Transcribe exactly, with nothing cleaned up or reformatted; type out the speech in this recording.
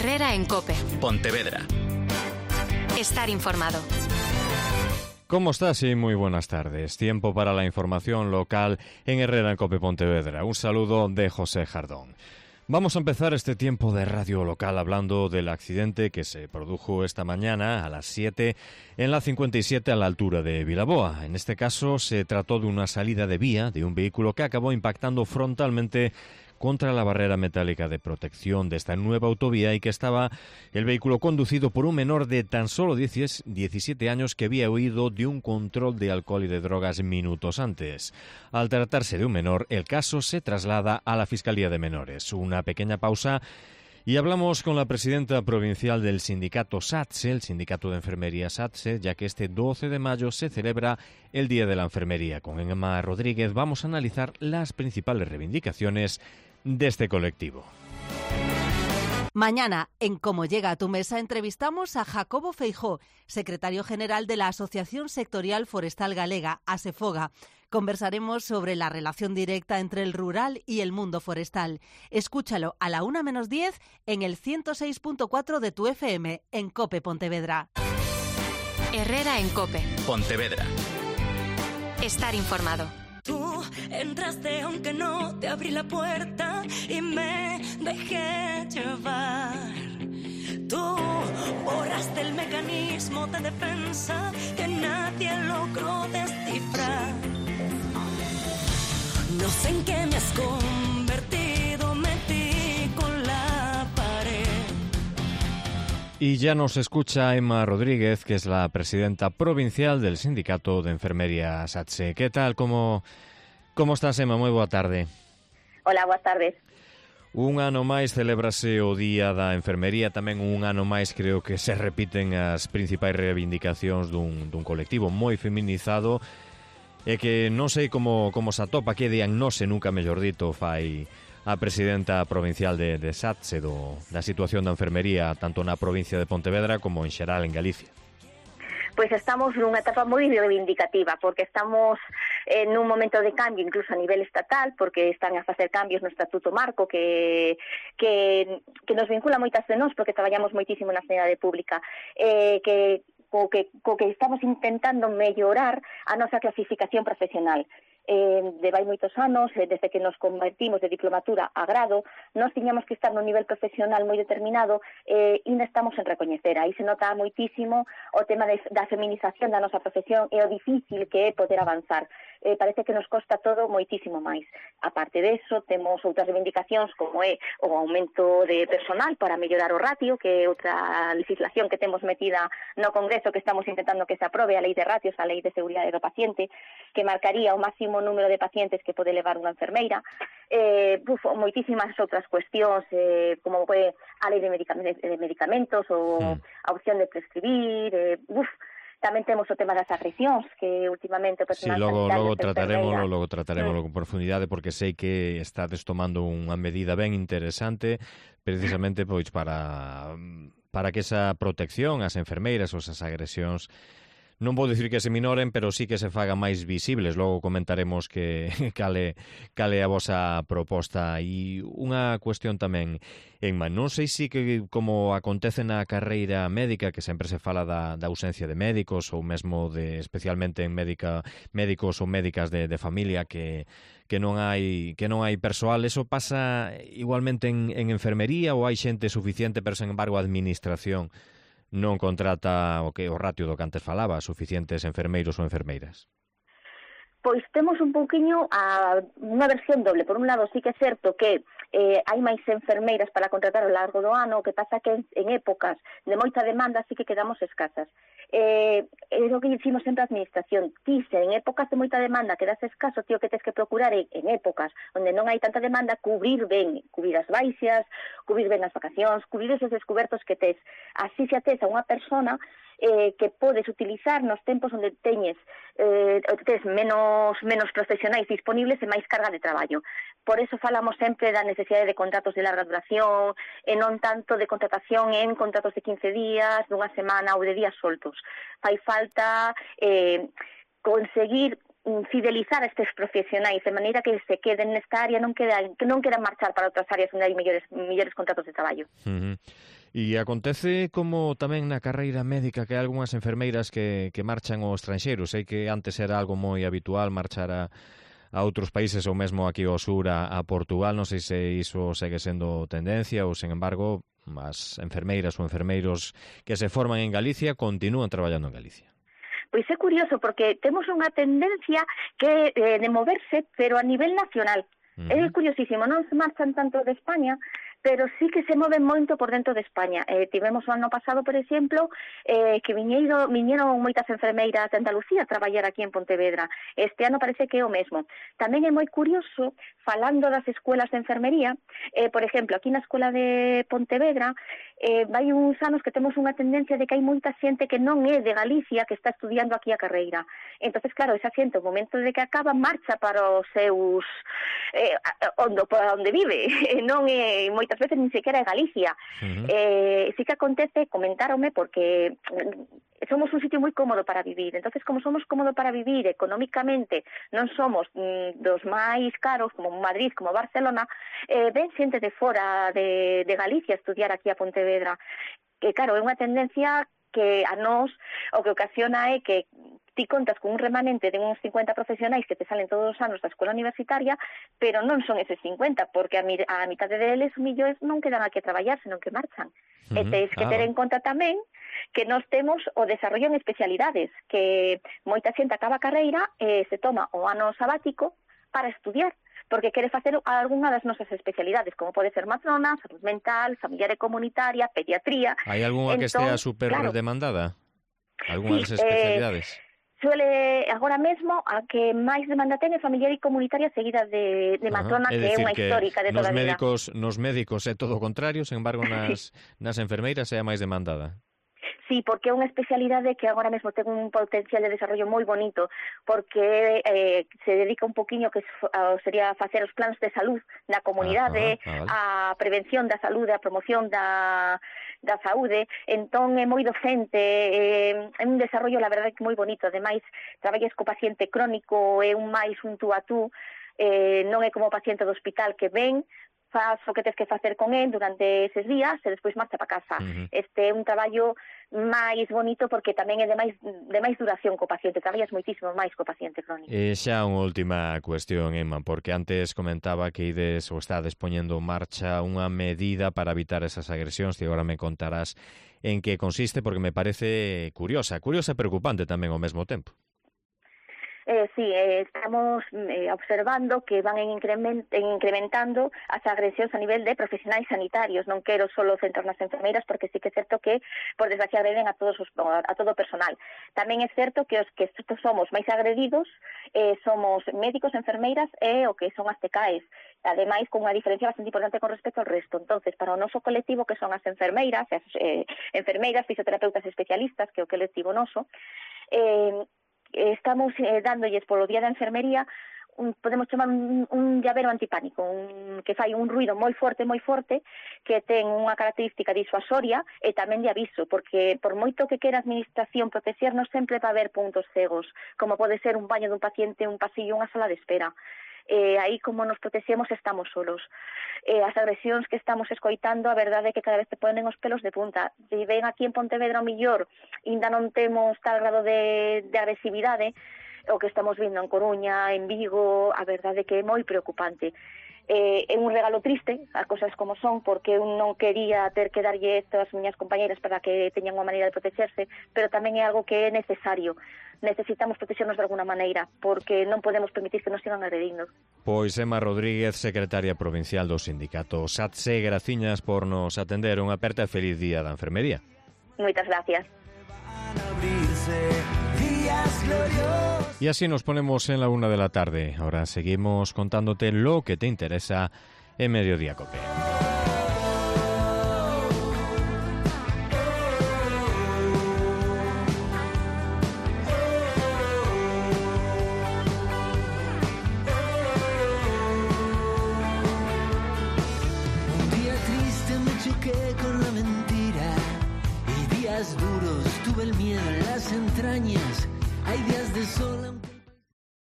Herrera en COPE. Pontevedra. Estar informado. ¿Cómo estás? Sí, muy buenas tardes. Tiempo para la información local en Herrera en COPE Pontevedra. Un saludo de José Jardón. Vamos a empezar este tiempo de radio local hablando del accidente que se produjo esta mañana a las siete en la cincuenta y siete a la altura de Vilaboa. En este caso se trató de una salida de vía de un vehículo que acabó impactando frontalmente contra la barrera metálica de protección de esta nueva autovía y que estaba el vehículo conducido por un menor de tan solo diecisiete años que había huido de un control de alcohol y de drogas minutos antes. Al tratarse de un menor, el caso se traslada a la Fiscalía de Menores. Una pequeña pausa y hablamos con la presidenta provincial del sindicato SATSE, el sindicato de enfermería SATSE, ya que este doce de mayo se celebra el Día de la Enfermería. Con Emma Rodríguez vamos a analizar las principales reivindicaciones de este colectivo. Mañana, en Cómo llega a tu mesa, entrevistamos a Jacobo Feijó, secretario general de la Asociación Sectorial Forestal Galega, ASEFOGA. Conversaremos sobre la relación directa entre el rural y el mundo forestal. Escúchalo a la una menos diez en el ciento seis punto cuatro de tu F M, en COPE Pontevedra. Herrera en COPE. Pontevedra. Estar informado. Tú entraste aunque no te abrí la puerta y me dejé llevar. Tú borraste el mecanismo de defensa que nadie logró descifrar. No sé en qué me has convertido, metí con la pared. Y ya nos escucha Emma Rodríguez, que es la presidenta provincial del Sindicato de Enfermería SATSE. ¿Qué tal? ¿Cómo, cómo estás, Emma? Moi boa tarde. Hola, boas tardes. Un ano máis celébrase o Día da Enfermería, tamén un ano máis creo que se repiten as principais reivindicacións dun, dun colectivo moi feminizado e que non sei como, como se atopa, que diagnose, nunca mellor dito, fai a presidenta provincial de, de SATSE do, da situación da enfermería tanto na provincia de Pontevedra como en xeral en Galicia. Pois estamos nunha etapa moi reivindicativa, porque estamos en un momento de cambio incluso a nivel estatal, porque están a facer cambios no Estatuto Marco que, que, que nos vincula moitas de nós, porque traballamos moitísimo na sanidade pública, eh, que, co, que, co que estamos intentando mellorar a nosa clasificación profesional. Eh, de vai moitos anos, eh, desde que nos convertimos de diplomatura a grado, nós tiñamos que estar nun nivel profesional moi determinado e eh, ainda estamos en recoñecer. Aí se nota moitísimo o tema de, da feminización da nosa profesión e o difícil que é poder avanzar. Eh, parece que nos costa todo moitísimo máis. A parte deso, temos outras reivindicacións como é o aumento de personal para mellorar o ratio, que é outra legislación que temos metida no Congreso, que estamos intentando que se aprobe, a Lei de Ratios, a Lei de Seguridade do Paciente, que marcaría o máximo número de pacientes que pode levar unha enfermeira, eh, uf, moitísimas outras cuestións, eh, como é a lei de, medicamentos, de medicamentos ou mm. a opción de prescribir, eh, uf, tamén temos o tema das agresións, que últimamente o personal sí, logo, sanitario logo trataremoslo, logo mm. trataremoslo con profundidade, porque sei que estades tomando unha medida ben interesante precisamente pois para para que esa protección ás enfermeiras ou esas agresións non vou dicir que se minoren, pero sí que se fagan máis visibles. Logo comentaremos que cale, cale a vosa proposta. E unha cuestión tamén, Emma, non sei si que como acontece na carreira médica, que sempre se fala da, da ausencia de médicos ou mesmo de, especialmente en médica, médicos ou médicas de, de familia que, que non hai que non hai persoal, eso pasa igualmente en, en enfermería ou hai xente suficiente, pero sen embargo a administración non contrata o que o ratio do que antes falaba, suficientes enfermeiros ou enfermeiras? Pois temos un pouquiño a unha versión doble. Por un lado, sí que é certo que eh, hai máis enfermeiras para contratar ao largo do ano, o que pasa que en, en épocas de moita demanda sí que quedamos escasas. Eh, é o que dicimos sempre a administración. Ti, se en épocas de moita demanda quedas escaso, tío, que tens que procurar en, en épocas onde non hai tanta demanda, cubrir ben, cubrir as baixas, cubrir ben as vacacións, cubrir esos descubertos que tes. Así se ates a unha persona eh, que podes utilizar nos tempos onde teñes eh, tes menos, menos profesionais disponibles e máis carga de traballo. Por eso falamos sempre da necesidade de contratos de larga duración e non tanto de contratación en contratos de quince días, dunha semana ou de días soltos. Fai falta eh, conseguir fidelizar a estes profesionais de maneira que se queden nesta área, non quedan, que non queran marchar para outras áreas onde hai mellores, mellores contratos de traballo. Uh-huh. E acontece como tamén na carreira médica que hai algunhas enfermeiras que, que marchan ao estranxeiro. Sei que antes era algo moi habitual marchar a, a outros países ou mesmo aquí ao sur a, a Portugal. Non sei se iso segue sendo tendencia ou, sen embargo, as enfermeiras ou enfermeiros que se forman en Galicia continúan traballando en Galicia. Pois é curioso, porque temos unha tendencia que eh, de moverse, pero a nivel nacional. Uh-huh. É curiosísimo, non se marchan tanto de España, pero sí que se moven moito por dentro de España. Eh, tivemos o ano pasado, por exemplo, eh, que viñeiro, viñeron moitas enfermeiras de Andalucía a traballar aquí en Pontevedra. Este ano parece que é o mesmo. Tamén é moi curioso, falando das escuelas de enfermería, eh, por exemplo, aquí na escola de Pontevedra, eh, vai uns anos que temos unha tendencia de que hai moita xente que non é de Galicia que está estudiando aquí a carreira. Entonces, claro, esa xente, o momento de que acaba, marcha para os seus... Eh, onde, para onde vive. Non é moitas veces nin sequera é Galicia. Uh-huh. Eh, sí que acontece, comentáronme, porque somos un sitio moi cómodo para vivir. Entonces, como somos cómodo para vivir económicamente, non somos mm, dos máis caros, como Madrid, como Barcelona, eh, ven xente de fora de, de Galicia a estudiar aquí a Pontevedra. Que, claro, é unha tendencia que a nós o que ocasiona é que ti contas con un remanente de uns cincuenta profesionais que te salen todos os anos da escola universitaria, pero non son eses cincuenta, porque a, mi, a mitade deles, millóns, non quedan aquí a traballar, senón que marchan. Uh-huh. E tens que ah. ter en conta tamén que nós temos o desarrollo en especialidades, que moita xente acaba a carreira e se toma o ano sabático para estudiar, porque quere facer algunha das nosas especialidades, como pode ser matrona, salud mental, familiar e comunitaria, pediatría. Hai algunha que estea super claro, demandada? Algunha sí, das especialidades? Eh, Suele, agora mesmo, a que máis demanda ten é familiar e comunitaria seguida de, de matrona, uh-huh. que é unha histórica de toda a vida. Médicos, nos médicos é todo o contrario, sen embargo, nas, nas enfermeiras é a máis demandada. Sí, porque é unha especialidade que agora mesmo ten un potencial de desarrollo moi bonito, porque eh, se dedica un poquinho que sería facer os planos de salud na comunidade, ah, ah, vale. A prevención da saúde, a promoción da, da saúde, entón é moi docente, é, é un desarrollo, la verdade, moi bonito. Ademais, traballas co paciente crónico, é un máis un tú a tú, eh, non é como o paciente do hospital que ven, faz o que tens que facer con el durante eses días e despois marcha para casa. Uh-huh. Este é un traballo máis bonito porque tamén é de máis, de máis duración co paciente, traballas moitísimo máis co paciente crónico. E xa unha última cuestión, Emma, porque antes comentaba que ides ou estades poñendo en marcha unha medida para evitar esas agresións, e agora me contarás en que consiste, porque me parece curiosa, curiosa e preocupante tamén ao mesmo tempo. Eh, sí, eh, estamos eh, observando que van en increment, en incrementando as agresións a nivel de profesionais sanitarios. Non quero solo centrar nas enfermeiras, porque sí que é certo que, por desgracia, agreden a todos os, a todo o personal. Tamén é certo que os que somos máis agredidos eh, somos médicos, enfermeiras e o que son as T K Es. Ademais, con unha diferencia bastante importante con respecto ao resto. Entonces, para o noso colectivo, que son as enfermeiras, as eh, enfermeiras, fisioterapeutas especialistas, que é o colectivo noso, eh, estamos eh, dándolles polo Día da Enfermería un, podemos chamar un, un llavero antipánico, un, que fai un ruido moi forte, moi forte, que ten unha característica disuasoria e tamén de aviso, porque por moito que quera a administración protexernos, sempre va a haber puntos cegos, como pode ser un baño dun paciente, un pasillo, unha sala de espera. Eh, aí, como nos protexemos, estamos solos. Eh, as agresións que estamos escoitando, a verdade é que cada vez te ponen os pelos de punta. Se ven aquí en Pontevedra, o millor, ainda non temos tal grado de, de agresividade, o que estamos vindo en Coruña, en Vigo, a verdade é que é moi preocupante. Eh, é un regalo triste, as cosas como son, porque eu non quería ter que darlle isto ás miñas compañeras para que teñan unha maneira de protexerse, pero tamén é algo que é necesario. Necesitamos protexernos de alguna maneira, porque non podemos permitir que nos sigan agredindo. Pois Emma Rodríguez, secretaria provincial do sindicato S A T S E, graciñas por nos atender. Unha aperta e feliz día da enfermería. Moitas gracias. Y así nos ponemos en la una de la tarde. Ahora seguimos contándote lo que te interesa en Mediodía Cope.